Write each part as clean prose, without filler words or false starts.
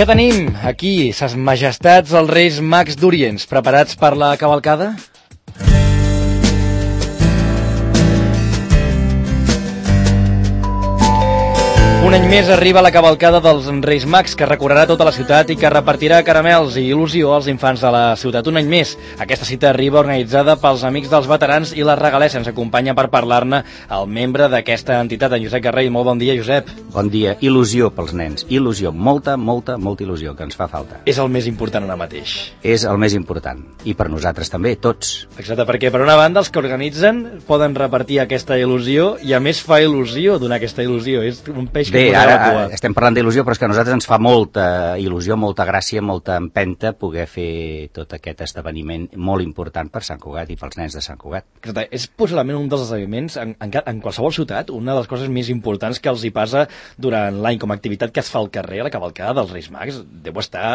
Ja tenim aquí ses majestats els Reis Mags d'Orients, preparats per la cavalcada? Un any més arriba la cavalcada dels Reis Mags, que recorrerà tota la ciutat i que repartirà caramels i il·lusió als infants de la ciutat. Un any més, aquesta cita arriba organitzada pels Amics dels Veterans i la Regalessa. Ens acompanya per parlar-ne el membre d'aquesta entitat, en Josep Garrell. Molt bon dia, Josep. Bon dia. Il·lusió pels nens. Il·lusió. Molta il·lusió, que ens fa falta. És el més important ara mateix. És el més important. I per nosaltres també, tots. Exacte, perquè per una banda els que organitzen poden repartir aquesta il·lusió i a més fa il·lusió donar aquesta il·lusió. És un peix que bé, ara estem parlant d'il·lusió, però és que a nosaltres ens fa molta il·lusió, molta gràcia, molta empenta poder fer tot aquest esdeveniment molt important per Sant Cugat i pels nens de Sant Cugat. Exacte, és possiblement un dels esdeveniments en qualsevol ciutat, una de les coses més importants que els hi passa durant l'any com a activitat que es fa al carrer, la cavalcada dels Reis Mags. Deu estar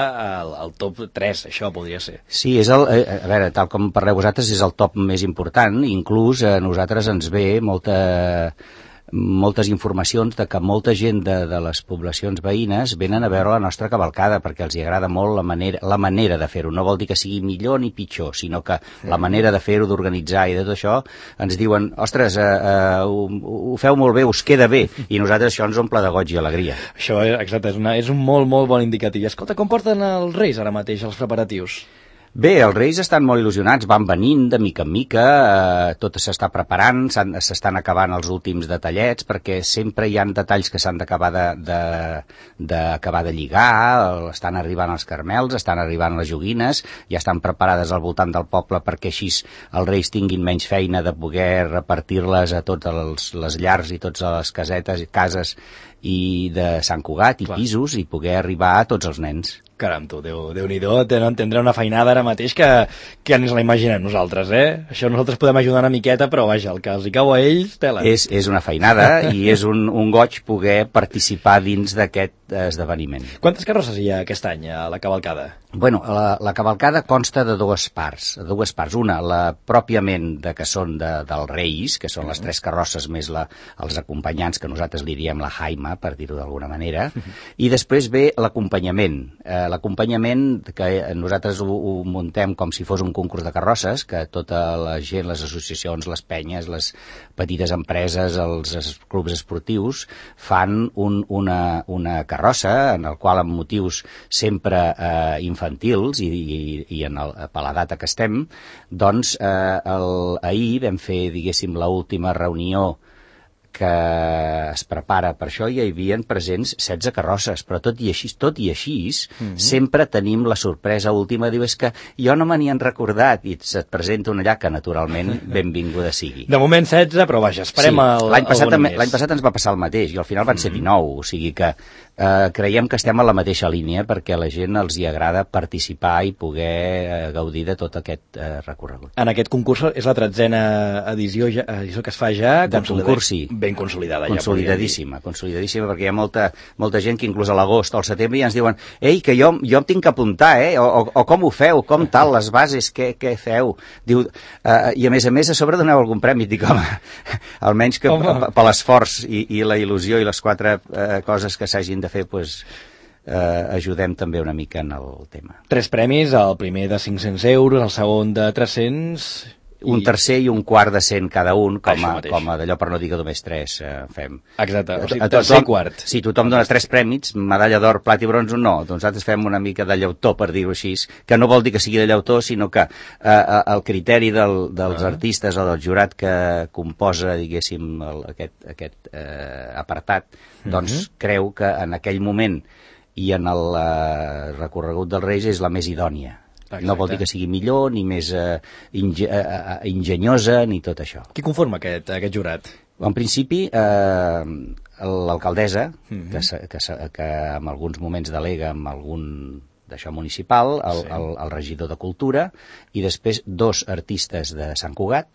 al top 3, això podria ser. Sí, és a veure, tal com parleu vosaltres, és el top més important. Inclús a nosaltres ens ve moltes informacions de que molta gent de les poblacions veïnes venen a veure la nostra cavalcada perquè els hi agrada molt la manera de fer-ho. No vol dir que sigui millor ni pitjor, sinó que la manera de fer-ho, d'organitzar i de tot això, ens diuen, ostres, ho feu molt bé, us queda bé, i nosaltres això ens omple de goig i alegria. Això, exacte, és un molt bon indicatiu. Escolta, com porten els Reis ara mateix els preparatius? Bé, els Reis estan molt il·lusionats, van venint de mica en mica, tot s'està preparant, s'estan acabant els últims detallets, perquè sempre hi ha detalls que s'han d'acabar de lligar, estan arribant els carmels, estan arribant les joguines, ja estan preparades al voltant del poble perquè així els Reis tinguin menys feina de poder repartir-les a totes les llars i totes les casetes i cases i de Sant Cugat i pisos i poder arribar a tots els nens. Caram, tu, Déu-n'hi-do, tindrà una feinada ara mateix que ens la imaginem nosaltres, eh? Això nosaltres podem ajudar una miqueta, però vaja, el que els hi cau a ells, tela. És una feinada i és un goig poder participar dins d'aquest esdeveniment. Quantes carrosses hi ha aquest any a la cavalcada? Bueno, la cavalcada consta de dues parts. Una, la pròpiament que són dels Reis, que són les 3 carrosses més els acompanyants, que nosaltres li diem la jaima, per dir-ho d'alguna manera, i després ve l'acompanyament. L'acompanyament que nosaltres ho muntem com si fos un concurs de carrosses, que tota la gent, les associacions, les penyes, les petites empreses, els clubs esportius, fan una carrossa en el qual amb motius sempre infantils i per la data que estem, doncs ahir vam fer, diguéssim, l'última reunió que es prepara per això, i hi havia presents 16 carrosses, però tot i així sempre tenim la sorpresa última, diu, és que jo no me n'hi han recordat, i se't presenta una allà que naturalment benvinguda sigui. De moment 16, però vaja, esperem l'any passat ens va passar el mateix, i al final van ser 19, o sigui que creiem que estem a la mateixa línia perquè a la gent els hi agrada participar i poder gaudir de tot aquest recorregut. En aquest concurs és la 13a edició que es fa ja, del concurs, sí. Ben consolidada. Consolidadíssima, perquè hi ha molta gent que inclús a l'agost o al setembre ja ens diuen, ei, que jo em tinc que apuntar, o com ho feu, com tal, les bases, què feu? Diu, i a més a sobre doneu algun premi, dic, home, almenys que per l'esforç i la il·lusió i les 4 coses que s'hagin de fer, doncs ajudem també una mica en el tema. 3 premis, el primer de 500 euros, el segon de 300... Un tercer i un quart de 100 cada un, com a d'allò, per no dir que només 3 fem. Exacte, o sigui, tercer i quart. Si tothom dona 3 prèmits, medalla d'or, plat i bronze, no. Doncs nosaltres fem una mica de llautó, per dir-ho així, que no vol dir que sigui de llautó, sinó que el criteri dels artistes o del jurat que composa, diguéssim, aquest apartat, doncs creu que en aquell moment i en el recorregut dels Reis és la més idònia. Exacte. No vol dir que sigui millor, ni més enginyosa, ni tot això. Qui conforma aquest jurat? En principi, l'alcaldessa, que en alguns moments delega amb algun d'això municipal, el regidor de Cultura, i després 2 artistes de Sant Cugat,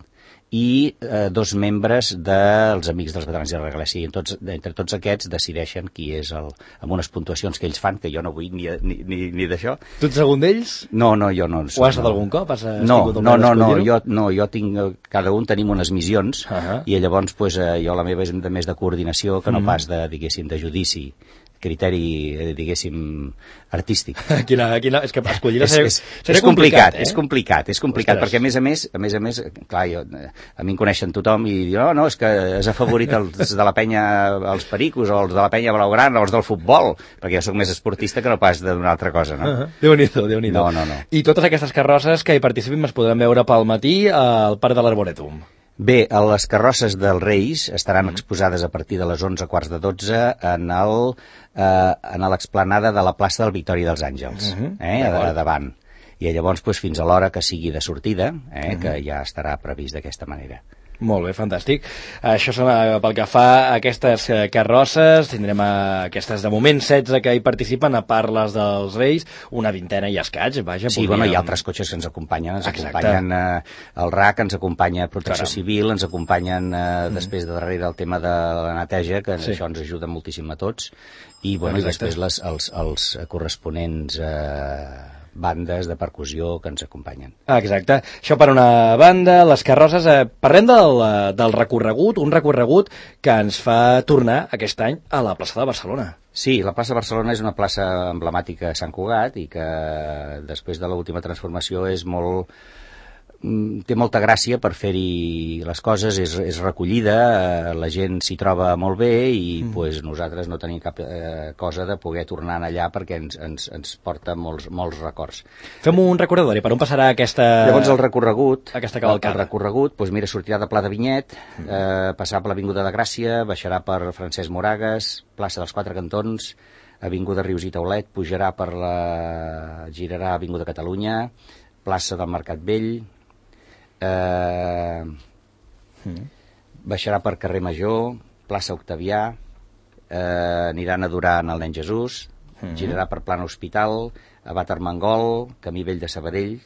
i 2 membres dels Amics dels Veterans de la Regalessa. Entre tots aquests decideixen qui és amb unes puntuacions que ells fan, que jo no vull ni d'això. Tu ets algun d'ells? No, jo no. Ho has estat algun cop? No, jo tinc, cada un tenim unes missions, i llavors jo la meva és més de coordinació que no pas de, diguéssim, de judici. criteri, diguéssim, artístic. És que escollir és complicat, és complicat, perquè a més a més, clar, a mi em coneixen tothom i diuen, no, és que has afavorit els de la penya, els pericos, o els de la penya blaugrana, o els del futbol, perquè jo sóc més esportista que no pas d'una altra cosa, no? Déu-n'hi-do. No. I totes aquestes carrosses que hi participin es podran veure pel matí al Parc de l'Arboretum. Bé, les carrosses dels Reis estaran exposades a partir de les 11:15 en l'explanada de la plaça del Victòria dels Àngels, a davant. I llavors fins a l'hora que sigui de sortida, que ja estarà previst d'aquesta manera. Molt bé, fantàstic. Això són pel que fa a aquestes carrosses. Tindrem aquestes de moment 16 que hi participen, a part les dels Reis, una vintena i escaig, vaja. Sí, hi ha altres cotxes que ens acompanyen. Ens acompanyen el RAC, ens acompanya Protecció Civil, ens acompanyen després de darrere el tema de la neteja, que això ens ajuda moltíssim a tots. I després els corresponents bandes de percussió que ens acompanyen. Exacte. Això per una banda, les carrosses. Parlem del recorregut, un recorregut que ens fa tornar aquest any a la plaça de Barcelona. Sí, la plaça de Barcelona és una plaça emblemàtica a Sant Cugat i que després de l'última transformació té molta gràcia per fer-hi les coses, és recollida, la gent s'hi troba molt bé i nosaltres no tenim cap cosa de poder tornar allà perquè ens porta molts records. Fem un recordatori, per on passarà aquesta... Llavors el recorregut, mira, sortirà de Pla de Vinyet, passarà per l'Avinguda de Gràcia, baixarà per Francesc Moragues, plaça dels Quatre Cantons, Avinguda Rius i Taulet, girarà a Avinguda Catalunya, plaça del Mercat Vell, baixarà per Carrer Major, plaça Octavià, aniran a Duran al Nen Jesús, girarà per Plana Hospital, Abat Armengol, Camí Vell de Sabadell,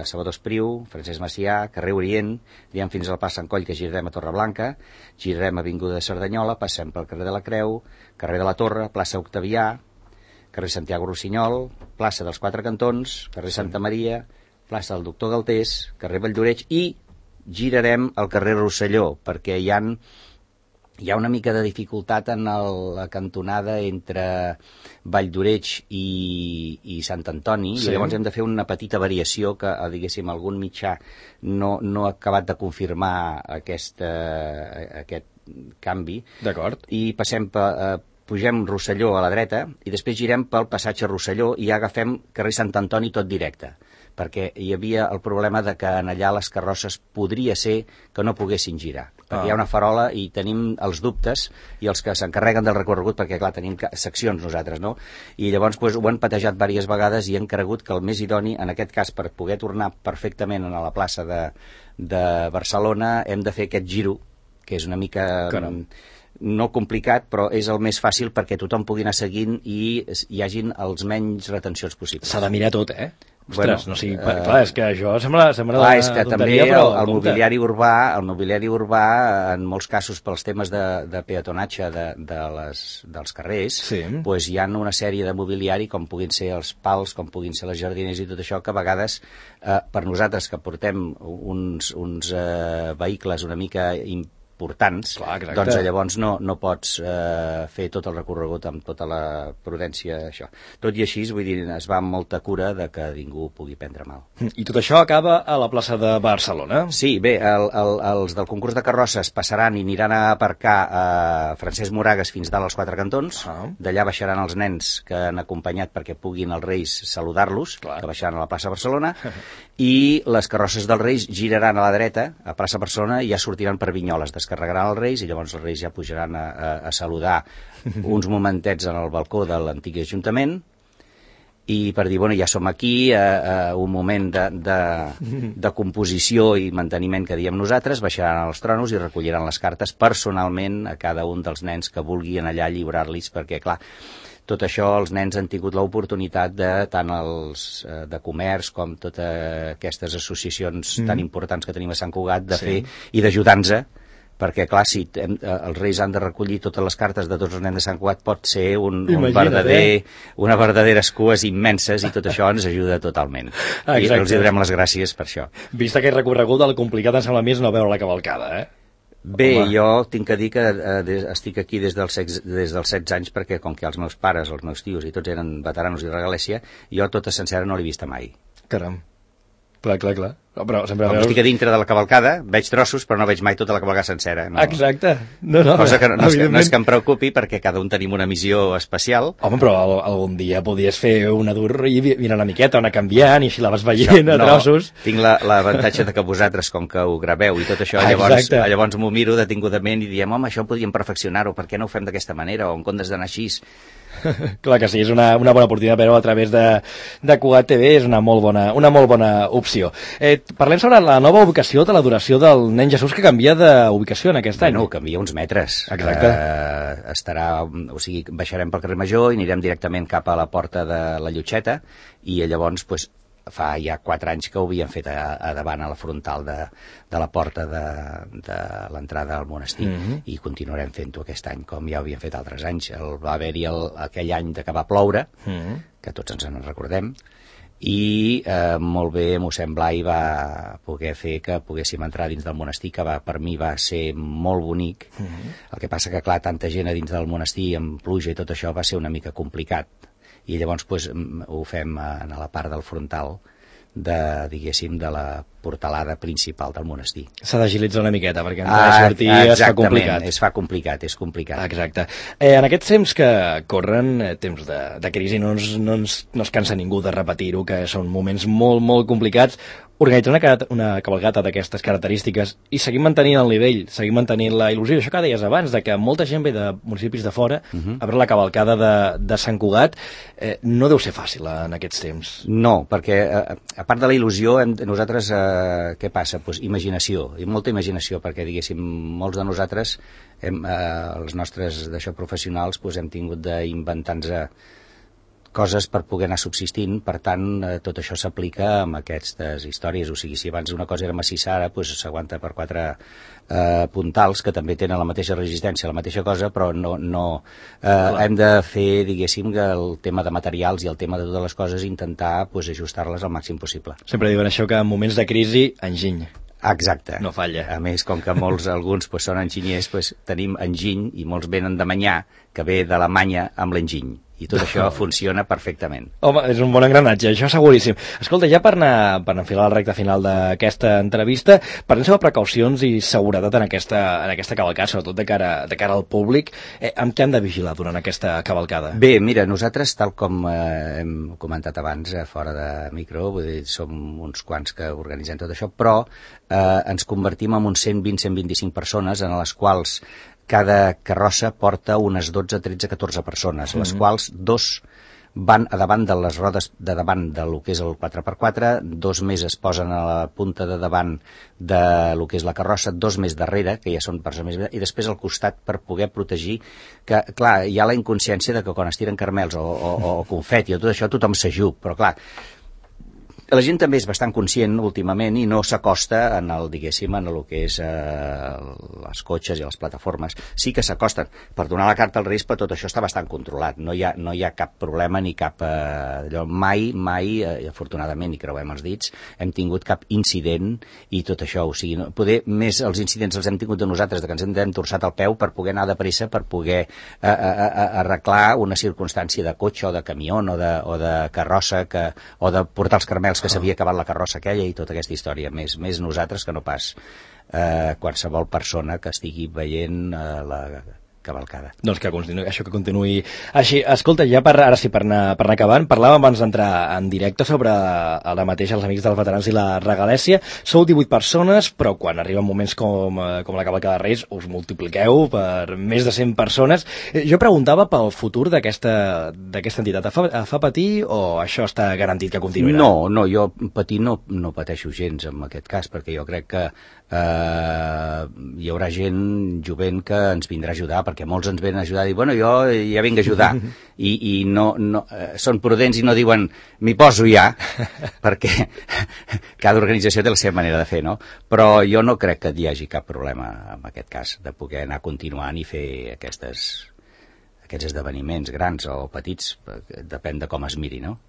Salvador Espriu, Francesc Macià, carrer Orient, anirem fins al Pas Sant Coll, que girarem a Torreblanca, girarem a Avinguda de Cerdanyola, passem pel carrer de la Creu, carrer de la Torre, plaça Octavià, carrer Santiago Rossinyol, plaça dels Quatre Cantons, carrer Santa Maria, plaça del Doctor Galtés, carrer Valldoreix, i girarem al carrer Rosselló, perquè hi ha una mica de dificultat en la cantonada entre Valldoreix i Sant Antoni, i llavors hem de fer una petita variació que, diguéssim, algun mitjà no ha acabat de confirmar aquest canvi. D'acord. I pugem Rosselló a la dreta i després girem pel passatge Rosselló i agafem carrer Sant Antoni tot directe, perquè hi havia el problema de que en allà les carrosses podria ser que no poguessin girar, perquè hi ha una farola i tenim els dubtes i els que s'encarreguen del recorregut, perquè clar, tenim seccions nosaltres, no? I llavors ho han patejat diverses vegades i han cregut que el més idoni, en aquest cas, per poder tornar perfectament a la plaça de Barcelona, hem de fer aquest giro, que és una mica... no complicat, però és el més fàcil perquè tothom pugui anar seguint i hi hagin els menys retencions possibles. S'ha de mirar tot, Ostres, no sigui... clar, és que això sembla és que també el mobiliari urbà, en molts casos pels temes de peatonatge dels carrers, hi ha una sèrie de mobiliari, com puguin ser els pals, com puguin ser les jardines i tot això, que a vegades, per nosaltres que portem uns vehicles una mica importants, doncs llavors no pots fer tot el recorregut amb tota la prudència, això. Tot i així, vull dir, es va amb molta cura de que ningú pugui prendre mal. I tot això acaba a la plaça de Barcelona? Sí, bé, els del concurs de carrosses passaran i aniran a aparcar a Francesc Moragues fins dalt als Quatre Cantons, d'allà baixaran els nens que han acompanyat perquè puguin els Reis saludar-los, que baixaran a la plaça Barcelona, i les carrosses dels Reis giraran a la dreta, a plaça Barcelona, i ja sortiran per Vinyoles, descarregaran els Reis i llavors els Reis ja pujaran a saludar uns momentets en el balcó de l'antic Ajuntament i per dir, ja som aquí, un moment de composició i manteniment que diem nosaltres, baixaran als tronos i recolliran les cartes personalment a cada un dels nens que vulguin allà lliurar-los, perquè clar, tot això els nens han tingut l'oportunitat tant els de comerç com totes aquestes associacions tan importants que tenim a Sant Cugat de fer i d'ajudar-nos, perquè clar, si els Reis han de recollir totes les cartes de tots els nens de Sant Cugat pot ser unes verdaderes cues immenses i tot això ens ajuda totalment. I els donem les gràcies per això. Vist aquest recorregut, el complicat em sembla més no veure la cavalcada, Bé, jo tinc que dir que estic aquí des dels 16 anys perquè com que els meus pares, els meus tios i tots eren veteranos i de regalèssia, jo tota sencera no l'he vista mai. Caram. Clar. Però sempre com estic a dintre de la cavalcada, veig trossos, però no veig mai tota la cavalcada sencera. No. Exacte. No, cosa que no és que em preocupi, perquè cada un tenim una missió especial. Home, però algun dia podies fer una dur i mirar una miqueta, anar canviant, i així la vas veient a trossos. Tinc l'avantatge de que vosaltres, com que ho graveu i tot això, llavors m'ho miro detingudament i diem, home, això podríem perfeccionar-ho, per què no ho fem d'aquesta manera, o en comptes d'anar així? Clar que sí, és una bona oportunitat, però a través de Cugat TV és una molt bona opció. Parlem sobre la nova ubicació de la duració del Nen Jesús, que canvia d'ubicació en aquest any. Bueno, canvia uns metres. Exacte. Baixarem pel carrer Major i anirem directament cap a la porta de la Llotxeta, i llavors fa ja 4 anys que ho havien fet a davant, a la frontal de la porta de l'entrada al monestir, i continuarem fent-ho aquest any, com ja ho havien fet altres anys. Va haver-hi aquell any que va ploure, que tots ens en recordem, i molt bé mossèn Blai va poder fer que poguéssim entrar dins del monestir, que per mi va ser molt bonic. El que passa que, clar, tanta gent a dins del monestir amb pluja i tot això va ser una mica complicat, i llavors ho fem a la part del frontal diguéssim, de la portalada principal del monestir. S'ha d'agilitzar una miqueta, perquè entrar i sortir es fa complicat. És complicat. Exacte. En aquests temps que corren, temps de crisi, no es cansa ningú de repetir-ho, que són moments molt, molt complicats. Organitzar una cavalcata d'aquestes característiques i seguir mantenint el nivell, seguir mantenint la il·lusió, això que deies abans, de que molta gent ve de municipis de fora a veure la cavalcada de Sant Cugat, no deu ser fàcil en aquests temps. No, perquè a part de la il·lusió, nosaltres, què passa? Imaginació, i molta imaginació, perquè diguéssim, molts de nosaltres, els nostres professionals, hem tingut d'inventar-nos coses per poder anar subsistint. Per tant, tot això s'aplica amb aquestes històries. O sigui, si abans una cosa era massissa, ara s'aguanta per 4 puntals que també tenen la mateixa resistència, la mateixa cosa, però no hem de fer, diguéssim, que el tema de materials i el tema de totes les coses intentar ajustar-les al màxim possible. Sempre diuen això, que en moments de crisi, enginy. Exacte. No falla. A més, com que alguns són enginyers, tenim enginy, i molts venen de Manyà, que ve d'Alemanya amb l'enginy. I tot això funciona perfectament. Home, és un bon engranatge, això seguríssim. Escolta, ja per anar enfilar la recta final d'aquesta entrevista, parlem sobre precaucions i seguretat en aquesta cavalcada, sobretot de cara al públic. Amb què hem de vigilar durant aquesta cavalcada? Bé, mira, nosaltres, tal com hem comentat abans, fora de micro, vull dir, som uns quants que organitzem tot això, però ens convertim en uns 120-125 persones, en les quals cada carrossa porta unes 12, 13, 14 persones, les quals 2 van a davant de les rodes de davant del que és el 4x4, 2 més es posen a la punta de davant del que és la carrossa, 2 més darrere, que ja són persones més, i després al costat per poder protegir, que clar, hi ha la inconsciència de que quan es tiren caramels o confeti o tot això tothom s'ajup, però clar, la gent també és bastant conscient últimament i no s'acosta en el que és les cotxes i les plataformes. Sí que s'acosten per donar la carta al risc, però tot això està bastant controlat. No hi ha cap problema ni cap... Mai, afortunadament, i creuem els dits, hem tingut cap incident i tot això. O sigui, poder més els incidents els hem tingut de nosaltres, de que ens hem torçat el peu per poder anar de pressa, per poder arreglar una circumstància de cotxe o de camió o de carrossa o de portar els caramels que s'havia acabat la carrossa aquella i tota aquesta història, més nosaltres que no pas qualsevol persona que estigui veient la cavalcada. Doncs que continuï així. Escolta, ja ara sí, per anar acabant, parlàvem abans d'entrar en directe sobre ara mateix els Amics dels Veterans i la Regalèssia. Sou 18 persones, però quan arriben moments com la cavalcada de Reis us multipliqueu per més de 100 persones. Jo preguntava pel futur d'aquesta entitat. Fa patir o això està garantit que continuarà? No, jo patir no pateixo gens en aquest cas, perquè jo crec que hi haurà gent jovent que ens vindrà a ajudar, perquè molts ens venen a ajudar i dir, bueno, jo ja vinc a ajudar i no són prudents i no diuen m'hi poso ja, perquè cada organització té la seva manera de fer, no? Però jo no crec que hi hagi cap problema en aquest cas de poder anar continuant i fer aquests esdeveniments grans o petits, depèn de com es miri, no?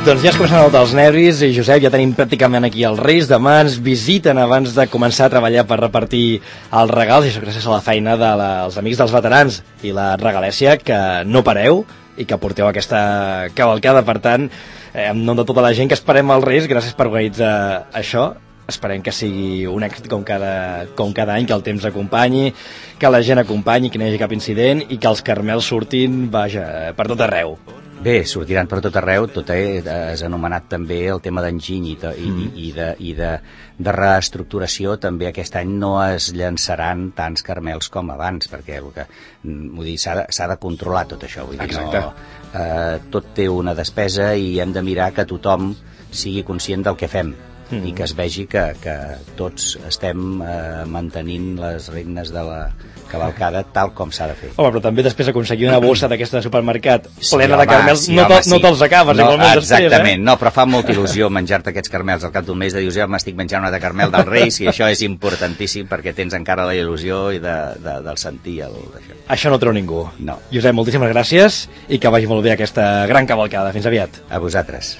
Doncs ja es comencen a notar els nervis i Josep, ja tenim pràcticament aquí els Reis, demà ens visiten abans de començar a treballar per repartir els regals, i això gràcies a la feina dels amics dels veterans i la Regalèssia, que no pareu i que porteu aquesta cavalcada. Per tant, en nom de tota la gent que esperem els Reis, gràcies per organitzar això. Esperem que sigui un èxit com cada any, que el temps acompanyi, que la gent acompanyi, que no hi hagi cap incident i que els carmels surtin, vaja, per tot arreu. Bé, sortiran per tot arreu, has anomenat també el tema d'enginy i de reestructuració. També aquest any no es llançaran tants carmels com abans, perquè s'ha de controlar tot això. Vull dir, tot té una despesa i hem de mirar que tothom sigui conscient del que fem i que es vegi que tots estem mantenint les regnes de la cavalcada tal com s'ha de fer. Home, però també després aconseguir una bossa d'aquesta de supermercat plena de carmels, no te'ls acabes igualment després, exactament, no, però fa molta il·lusió menjar-te aquests carmels al cap d'un mes, de dius, ja m'estic menjant una de carmel dels Reis, i això és importantíssim perquè tens encara la il·lusió i del sentir d'això. Això no ho treu ningú. No. Josep, moltíssimes gràcies i que vagi molt bé aquesta gran cavalcada. Fins aviat. A vosaltres.